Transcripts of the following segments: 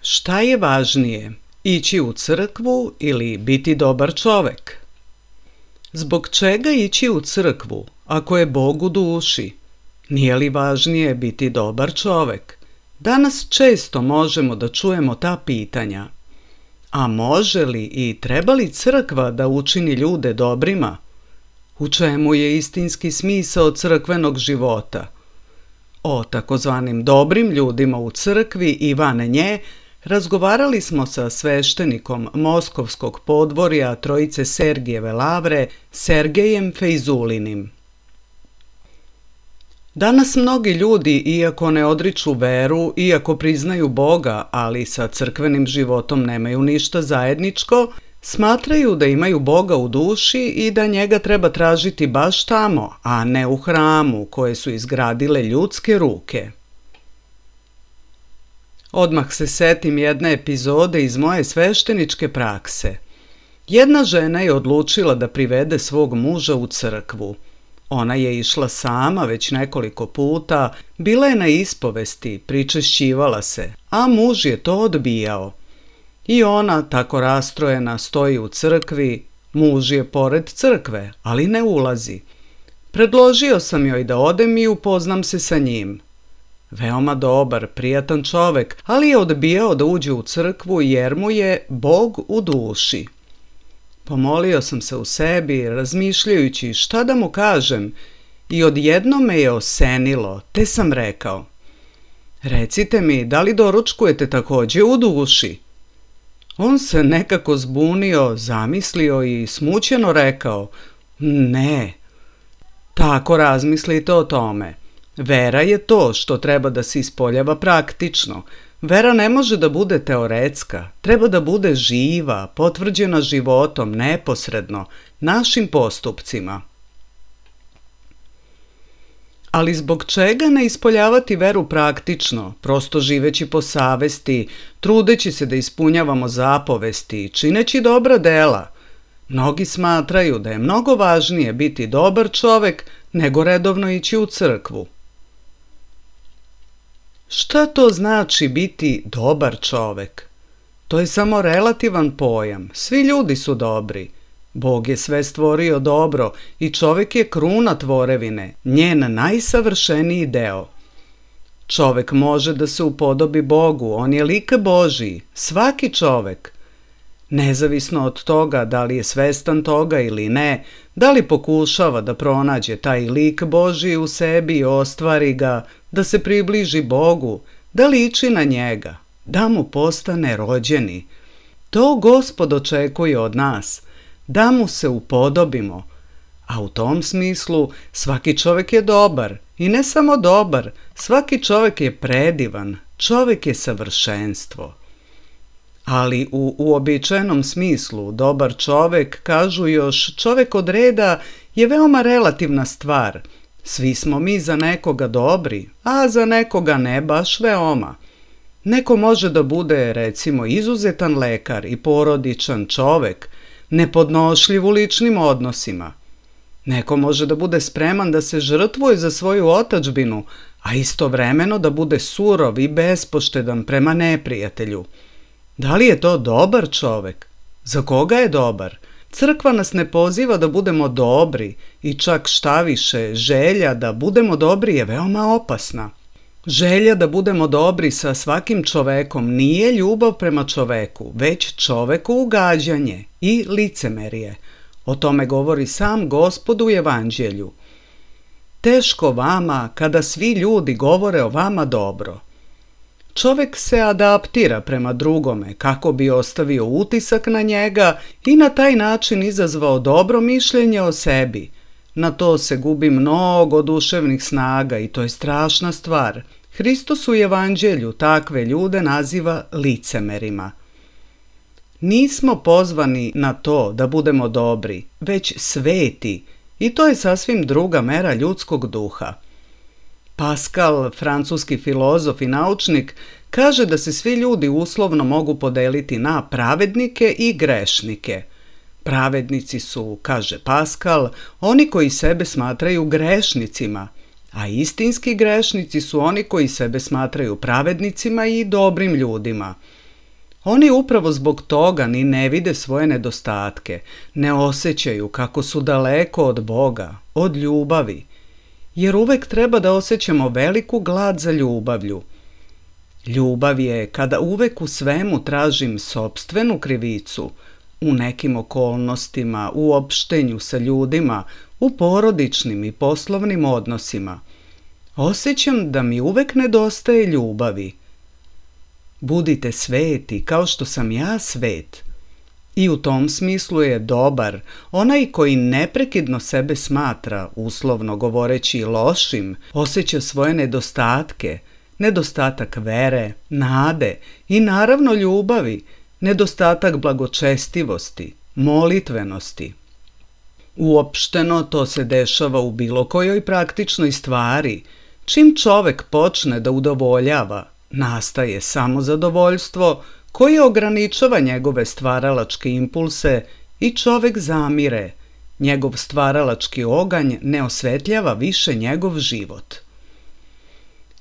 Šta je važnije, ići u crkvu ili biti dobar čovek? Zbog čega ići u crkvu ako je Bog u duši? Nije li važnije biti dobar čovek? Danas često možemo da čujemo ta pitanja. A može li i treba li crkva da učini ljude dobrima? U čemu je istinski smisao crkvenog života? O takozvanim dobrim ljudima u crkvi i van nje razgovarali smo sa sveštenikom Moskovskog podvorja Trojice Sergijeve lavre, Sergejem Fejzulinim. Danas mnogi ljudi, iako ne odriču veru, iako priznaju Boga, ali sa crkvenim životom nemaju ništa zajedničko, smatraju da imaju Boga u duši i da njega treba tražiti baš tamo, a ne u hramu koje su izgradile ljudske ruke. Odmah se setim jedne epizode iz moje svešteničke prakse. Jedna žena je odlučila da privede svog muža u crkvu. Ona je išla sama već nekoliko puta, bila je na ispovesti, pričešćivala se, a muž je to odbijao. I ona, tako rastrojena, stoji u crkvi, muž je pored crkve, ali ne ulazi. Predložio sam joj da odem i upoznam se sa njim. Veoma dobar, prijatan čovek, ali je odbijao da uđe u crkvu jer mu je Bog u duši. Pomolio sam se u sebi, razmišljajući šta da mu kažem, i odjednom me je osenilo, te sam rekao: "Recite mi, da li doručkujete takođe u duši?" On se nekako zbunio, zamislio i smućeno rekao: "Ne." Tako razmislite o tome. Vera je to što treba da se ispoljava praktično. Vera ne može da bude teoretska, treba da bude živa, potvrđena životom, neposredno, našim postupcima. Ali zbog čega ne ispoljavati veru praktično, prosto živeći po savesti, trudeći se da ispunjavamo zapovesti, čineći dobra dela? Mnogi smatraju da je mnogo važnije biti dobar čovek nego redovno ići u crkvu. Šta to znači biti dobar čovek? To je samo relativan pojam. Svi ljudi su dobri. Bog je sve stvorio dobro i čovek je kruna tvorevine, njen najsavršeniji deo. Čovek može da se upodobi Bogu, on je lik Božiji, svaki čovek. Nezavisno od toga da li je svestan toga ili ne, da li pokušava da pronađe taj lik Božiji u sebi i ostvari ga, da se približi Bogu, da liči na njega, da mu postane rođeni. To Gospod očekuje od nas, da mu se upodobimo. A u tom smislu svaki čovek je dobar i ne samo dobar, svaki čovek je predivan, čovek je savršenstvo. Ali u uobičajenom smislu dobar čovek, kažu još, čovek od reda je veoma relativna stvar. Svi smo mi za nekoga dobri, a za nekoga ne baš veoma. Neko može da bude, recimo, izuzetan lekar i porodičan čovek, nepodnošljiv u ličnim odnosima. Neko može da bude spreman da se žrtvuje za svoju otadžbinu, a istovremeno da bude surov i bespoštedan prema neprijatelju. Da li je to dobar čovek? Za koga je dobar? Crkva nas ne poziva da budemo dobri i čak šta više, želja da budemo dobri je veoma opasna. Želja da budemo dobri sa svakim čovekom nije ljubav prema čoveku, već čoveku ugađanje i licemerje. O tome govori sam Gospod u Evanđelju. Teško vama kada svi ljudi govore o vama dobro. Čovek se adaptira prema drugome kako bi ostavio utisak na njega i na taj način izazvao dobro mišljenje o sebi. Na to se gubi mnogo duševnih snaga i to je strašna stvar. Hristos u Evanđelju takve ljude naziva licemerima. Nismo pozvani na to da budemo dobri, već sveti, i to je sasvim druga mera ljudskog duha. Pascal, francuski filozof i naučnik, kaže da se svi ljudi uslovno mogu podeliti na pravednike i grešnike. Pravednici su, kaže Pascal, oni koji sebe smatraju grešnicima, a istinski grešnici su oni koji sebe smatraju pravednicima i dobrim ljudima. Oni upravo zbog toga ni ne vide svoje nedostatke, ne osjećaju kako su daleko od Boga, od ljubavi, jer uvek treba da osjećamo veliku glad za ljubavlju. Ljubav je kada uvek u svemu tražim sopstvenu krivicu, u nekim okolnostima, u opštenju sa ljudima, u porodičnim i poslovnim odnosima. Osjećam da mi uvek nedostaje ljubavi. Budite sveti kao što sam ja svet. I u tom smislu je dobar onaj koji neprekidno sebe smatra, uslovno govoreći, lošim, osjeća svoje nedostatke, nedostatak vere, nade i naravno ljubavi, nedostatak blagočestivosti, molitvenosti. Uopšteno to se dešava u bilo kojoj praktičnoj stvari. Čim čovek počne da udovoljava, nastaje samozadovoljstvo koje ograničava njegove stvaralačke impulse i čovek zamire. Njegov stvaralački oganj ne osvetljava više njegov život.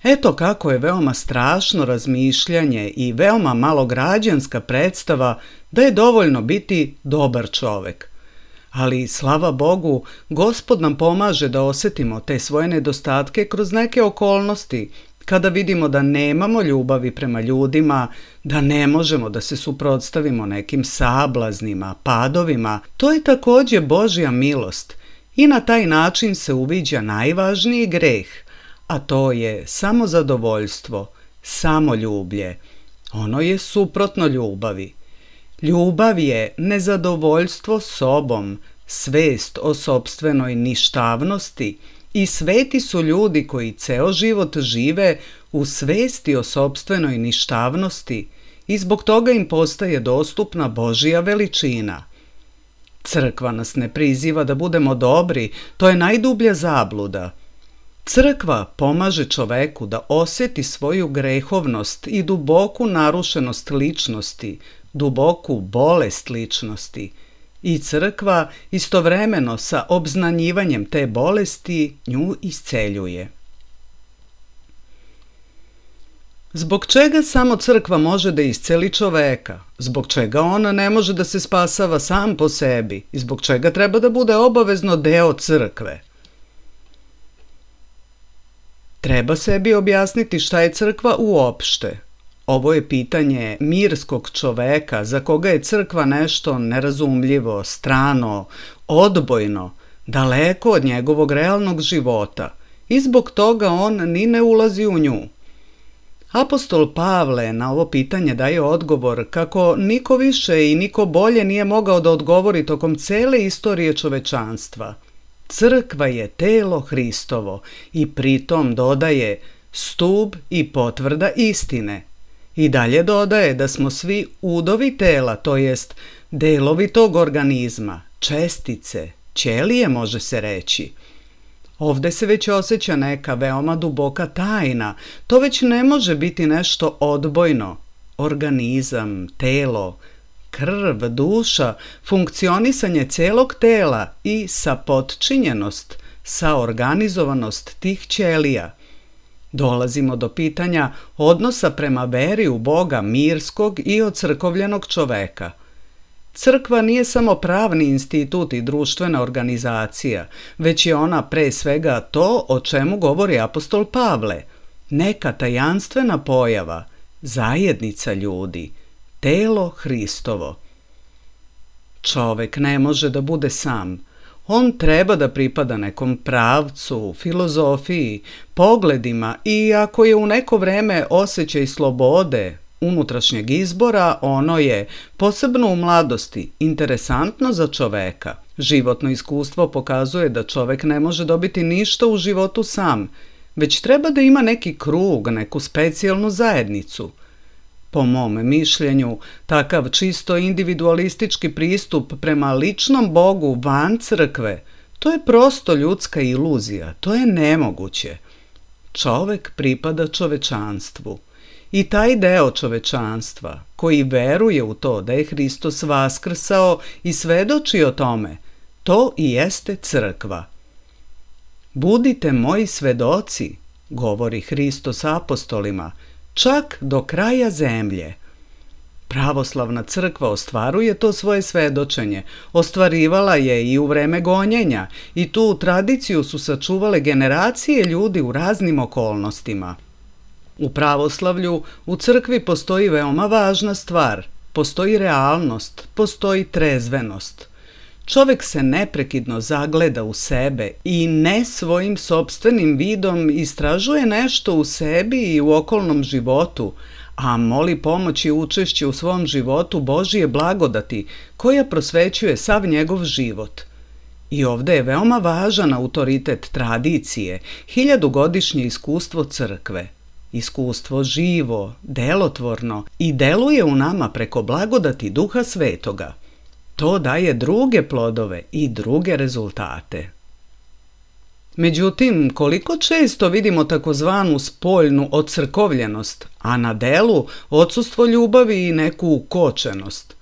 Eto kako je veoma strašno razmišljanje i veoma malograđanska predstava da je dovoljno biti dobar čovek. Ali, slava Bogu, Gospod nam pomaže da osetimo te svoje nedostatke kroz neke okolnosti, kada vidimo da nemamo ljubavi prema ljudima, da ne možemo da se suprotstavimo nekim sablaznima, padovima. To je takođe Božja milost i na taj način se uviđa najvažniji greh, a to je samozadovoljstvo, samoljublje. Ono je suprotno ljubavi. Ljubav je nezadovoljstvo sobom, svest o sopstvenoj ništavnosti i sveti su ljudi koji ceo život žive u svesti o sopstvenoj ništavnosti i zbog toga im postaje dostupna Božja veličina. Crkva nas ne priziva da budemo dobri, to je najdublja zabluda. Crkva pomaže čoveku da osjeti svoju grehovnost i duboku narušenost ličnosti, duboku bolest ličnosti. I crkva istovremeno sa obznanjivanjem te bolesti nju isceljuje. Zbog čega samo crkva može da isceli čoveka? Zbog čega on ne može da se spasava sam po sebi? I zbog čega treba da bude obavezno deo crkve? Treba sebi objasniti šta je crkva uopšte. Ovo je pitanje mirskog čoveka za koga je crkva nešto nerazumljivo, strano, odbojno, daleko od njegovog realnog života i zbog toga on ni ne ulazi u nju. Apostol Pavle na ovo pitanje daje odgovor kako niko više i niko bolje nije mogao da odgovori tokom cele istorije čovečanstva. Crkva je telo Hristovo i pritom dodaje stub i potvrda istine. I dalje dodaje da smo svi udovi tela, to jest delovi tog organizma, čestice, ćelije može se reći. Ovde se već osjeća neka veoma duboka tajna, to već ne može biti nešto odbojno. Organizam, telo, krv, duša, funkcionisanje celog tela i sapotčinjenost, saorganizovanost tih ćelija. Dolazimo do pitanja odnosa prema veri u Boga mirskog i ocrkovljenog čoveka. Crkva nije samo pravni institut i društvena organizacija, već je ona pre svega to o čemu govori apostol Pavle, neka tajanstvena pojava, zajednica ljudi, telo Hristovo. Čovek ne može da bude sam. On treba da pripada nekom pravcu, filozofiji, pogledima i ako je u neko vreme osjećaj slobode, unutrašnjeg izbora, ono je, posebno u mladosti, interesantno za čoveka. Životno iskustvo pokazuje da čovek ne može dobiti ništa u životu sam, već treba da ima neki krug, neku specijalnu zajednicu. Po mom mišljenju, takav čisto individualistički pristup prema ličnom Bogu van crkve, to je prosto ljudska iluzija, to je nemoguće. Čovek pripada čovečanstvu. I taj deo čovečanstva, koji veruje u to da je Hristos vaskrsao i svedoči o tome, to i jeste crkva. Budite moji svedoci, govori Hristos apostolima, čak do kraja zemlje. Pravoslavna crkva ostvaruje to svoje svedočenje, ostvarivala je i u vreme gonjenja i tu tradiciju su sačuvale generacije ljudi u raznim okolnostima. U pravoslavlju u crkvi postoji veoma važna stvar, postoji realnost, postoji trezvenost. Čovjek se neprekidno zagleda u sebe i ne svojim sopstvenim vidom istražuje nešto u sebi i u okolnom životu, a moli pomoć i učešće u svom životu Božije blagodati koja prosvećuje sav njegov život. I ovdje je veoma važan autoritet tradicije, 1000-godišnje iskustvo crkve. Iskustvo živo, delotvorno i deluje u nama preko blagodati Duha Svetoga. To daje druge plodove i druge rezultate. Međutim, koliko često vidimo takozvanu spoljnu ocrkovljenost, a na delu odsustvo ljubavi i neku ukočenost?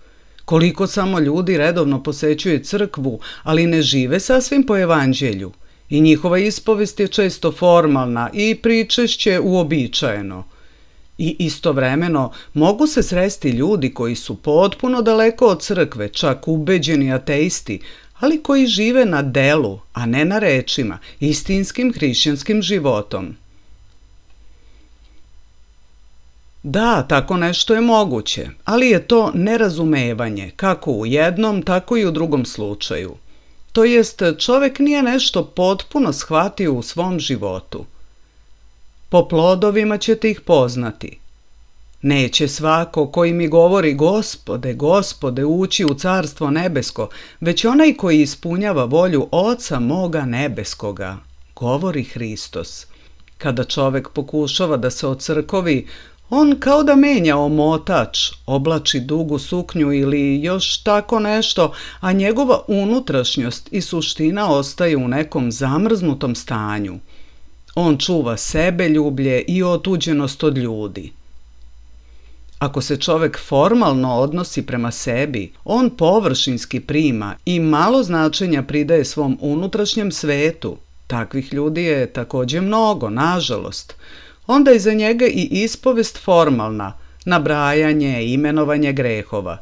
Koliko samo ljudi redovno posećuje crkvu, ali ne žive sasvim po evanđelju? I njihova ispovest je često formalna i pričešće uobičajeno. I istovremeno mogu se sresti ljudi koji su potpuno daleko od crkve, čak ubeđeni ateisti, ali koji žive na delu, a ne na rečima, istinskim hrišćanskim životom. Da, tako nešto je moguće, ali je to nerazumevanje, kako u jednom, tako i u drugom slučaju. To jest, čovjek nije nešto potpuno shvatio u svom životu. Po plodovima ćete ih poznati. Neće svako koji mi govori Gospode, Gospode, ući u carstvo nebesko, već onaj koji ispunjava volju Oca moga nebeskoga, govori Hristos. Kada čovjek pokušava da se ocrkovi, on kao da menja omotač, oblači dugu suknju ili još tako nešto, a njegova unutrašnjost i suština ostaju u nekom zamrznutom stanju. On čuva sebeljublje i otuđenost od ljudi. Ako se čovjek formalno odnosi prema sebi, on površinski prima i malo značenja pridaje svom unutrašnjem svetu. Takvih ljudi je također mnogo, nažalost. Onda je za njega i ispovest formalna, nabrajanje, imenovanje grehova.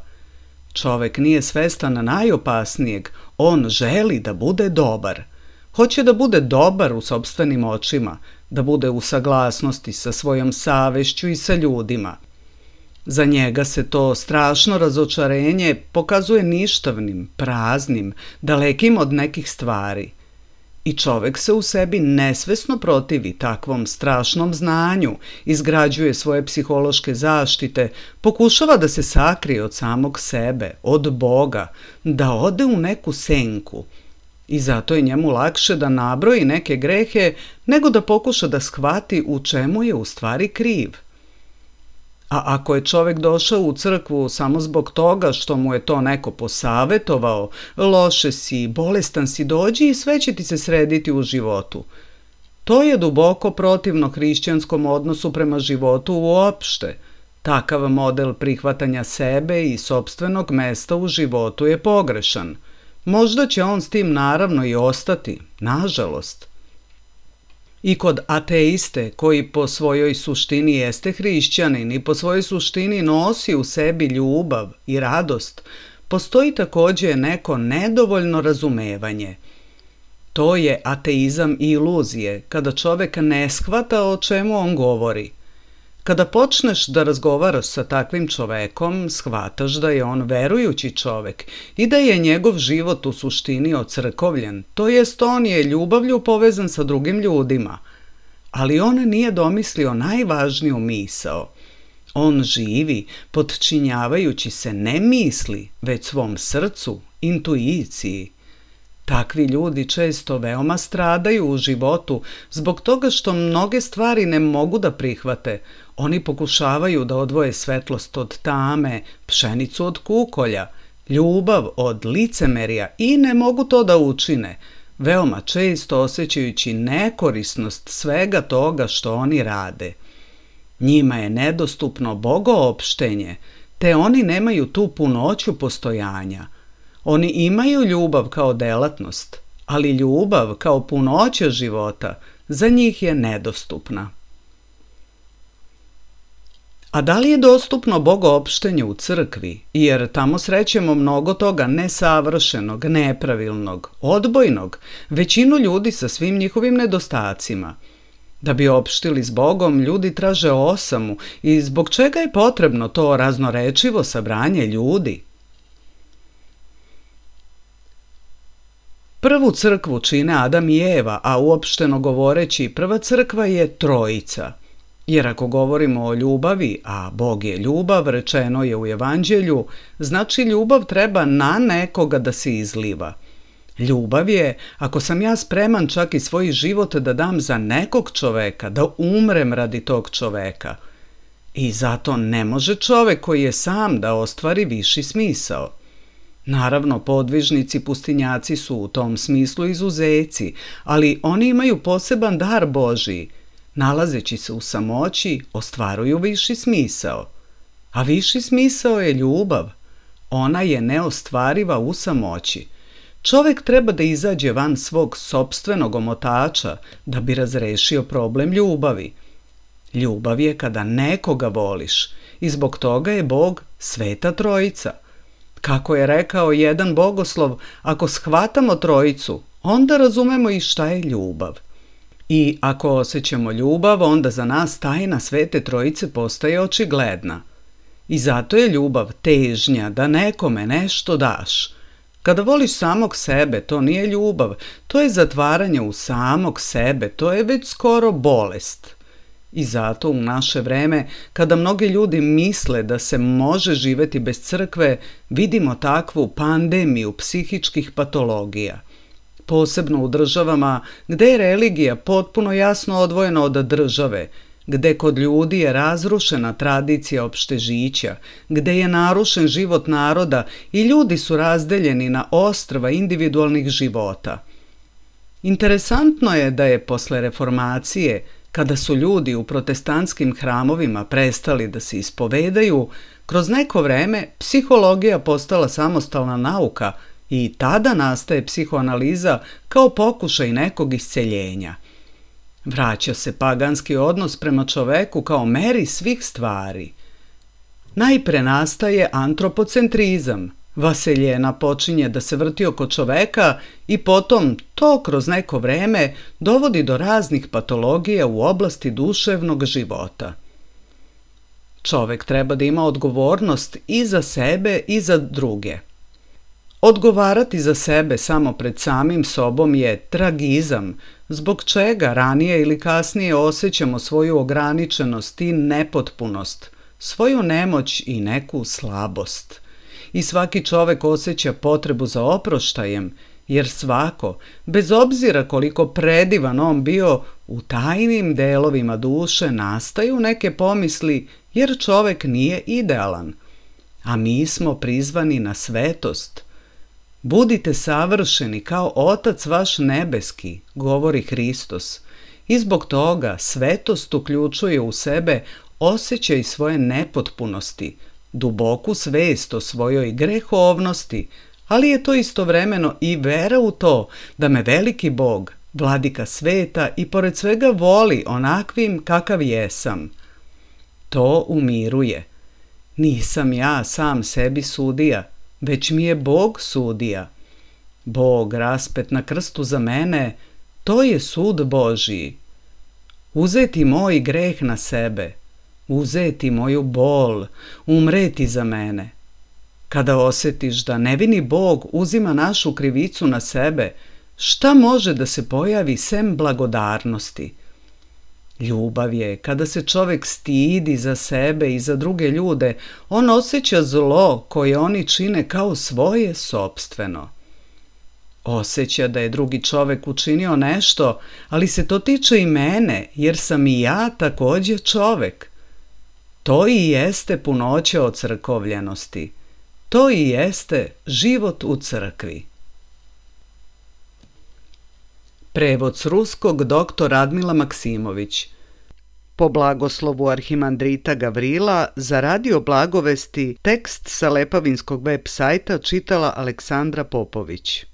Čovjek nije svestan najopasnijeg, on želi da bude dobar. Hoće da bude dobar u sopstvenim očima, da bude u saglasnosti sa svojom savešću i sa ljudima. Za njega se to strašno razočarenje pokazuje ništavnim, praznim, dalekim od nekih stvari. I čovjek se u sebi nesvesno protivi takvom strašnom znanju, izgrađuje svoje psihološke zaštite, pokušava da se sakrije od samog sebe, od Boga, da ode u neku senku. I zato je njemu lakše da nabroji neke grehe nego da pokuša da shvati u čemu je u stvari kriv. A ako je čovjek došao u crkvu samo zbog toga što mu je to neko posavetovao, loše si, bolestan si, dođi i sve će ti se srediti u životu. To je duboko protivno hrišćanskom odnosu prema životu uopšte. Takav model prihvatanja sebe i sopstvenog mesta u životu je pogrešan. Možda će on s tim naravno i ostati, nažalost. I kod ateiste, koji po svojoj suštini jeste hrišćanin i po svojoj suštini nosi u sebi ljubav i radost, postoji također neko nedovoljno razumevanje. To je ateizam i iluzije, kada čovjek ne shvata o čemu on govori. Kada počneš da razgovaraš sa takvim čovekom, shvataš da je on verujući čovek i da je njegov život u suštini ocrkovljen, to jest on je ljubavlju povezan sa drugim ljudima. Ali on nije domislio najvažniju misao. On živi podčinjavajući se ne misli, već svom srcu, intuiciji. Takvi ljudi često veoma stradaju u životu zbog toga što mnoge stvari ne mogu da prihvate. Oni pokušavaju da odvoje svetlost od tame, pšenicu od kukolja, ljubav od licemerja i ne mogu to da učine, veoma često osjećajući nekorisnost svega toga što oni rade. Njima je nedostupno bogoopštenje, te oni nemaju tu punoću postojanja. Oni imaju ljubav kao delatnost, ali ljubav kao punoća života za njih je nedostupna. A da li je dostupno bogoopštenje u crkvi? Jer tamo srećemo mnogo toga nesavršenog, nepravilnog, odbojnog, većinu ljudi sa svim njihovim nedostacima. Da bi opštili s Bogom, ljudi traže osamu i zbog čega je potrebno to raznorečivo sabranje ljudi? Prvu crkvu čine Adam i Eva, a uopšteno govoreći prva crkva je Trojica. Jer ako govorimo o ljubavi, a Bog je ljubav, rečeno je u Evanđelju, znači ljubav treba na nekoga da se izliva. Ljubav je ako sam ja spreman čak i svoj život da dam za nekog čoveka, da umrem radi tog čoveka. I zato ne može čovek koji je sam da ostvari viši smisao. Naravno, podvižnici pustinjaci su u tom smislu izuzeci, ali oni imaju poseban dar Božiji. Nalazeći se u samoći, ostvaruju viši smisao. A viši smisao je ljubav. Ona je neostvariva u samoći. Čovek treba da izađe van svog sopstvenog omotača da bi razrešio problem ljubavi. Ljubav je kada nekoga voliš i zbog toga je Bog Sveta Trojica. Kako je rekao jedan bogoslov, ako shvatamo Trojicu, onda razumemo i šta je ljubav. I ako osjećamo ljubav, onda za nas tajna Svete Trojice postaje očigledna. I zato je ljubav težnja da nekome nešto daš. Kada voliš samog sebe, to nije ljubav, to je zatvaranje u samog sebe, to je već skoro bolest. I zato u naše vreme, kada mnogi ljudi misle da se može živeti bez crkve, vidimo takvu pandemiju psihičkih patologija. Posebno u državama gde je religija potpuno jasno odvojena od države, gde kod ljudi je razrušena tradicija opštežića, gde je narušen život naroda i ljudi su razdeljeni na ostrva individualnih života. Interesantno je da je posle reformacije, kada su ljudi u protestantskim hramovima prestali da se ispovedaju, kroz neko vreme psihologija postala samostalna nauka i tada nastaje psihoanaliza kao pokušaj nekog isceljenja. Vraća se paganski odnos prema čoveku kao meri svih stvari. Najpre nastaje antropocentrizam. Vaseljena počinje da se vrti oko čoveka i potom to kroz neko vreme dovodi do raznih patologija u oblasti duševnog života. Čovek treba da ima odgovornost i za sebe i za druge. Odgovarati za sebe samo pred samim sobom je tragizam, zbog čega ranije ili kasnije osjećamo svoju ograničenost i nepotpunost, svoju nemoć i neku slabost. I svaki čovek osjeća potrebu za oproštajem, jer svako, bez obzira koliko predivan on bio, u tajnim delovima duše nastaju neke pomisli, jer čovek nije idealan. A mi smo prizvani na svetost. Budite savršeni kao Otac vaš nebeski, govori Hristos. I zbog toga svetost uključuje u sebe osjećaj svoje nepotpunosti, duboku svest o svojoj grehovnosti, ali je to istovremeno i vera u to da me veliki Bog, vladika sveta i pored svega voli onakvim kakav jesam. To umiruje. Nisam ja sam sebi sudija, već mi je Bog sudija. Bog raspet na krstu za mene, to je sud Božiji. Uzeti moj greh na sebe, uzeti moju bol, umreti za mene. Kada osjetiš da nevini Bog uzima našu krivicu na sebe, šta može da se pojavi sem blagodarnosti? Ljubav je kada se čovek stidi za sebe i za druge ljude, on osjeća zlo koje oni čine kao svoje sopstveno. Osjeća da je drugi čovek učinio nešto, ali se to tiče i mene, jer sam i ja također čovek. To i jeste punoća ocrkovljenosti. To i jeste život u crkvi. Prevod s ruskog dr. Radmila Maksimović. Po blagoslovu arhimandrita Gavrila za Radio Blagovesti tekst sa Lepavinskog web sajta čitala Aleksandra Popović.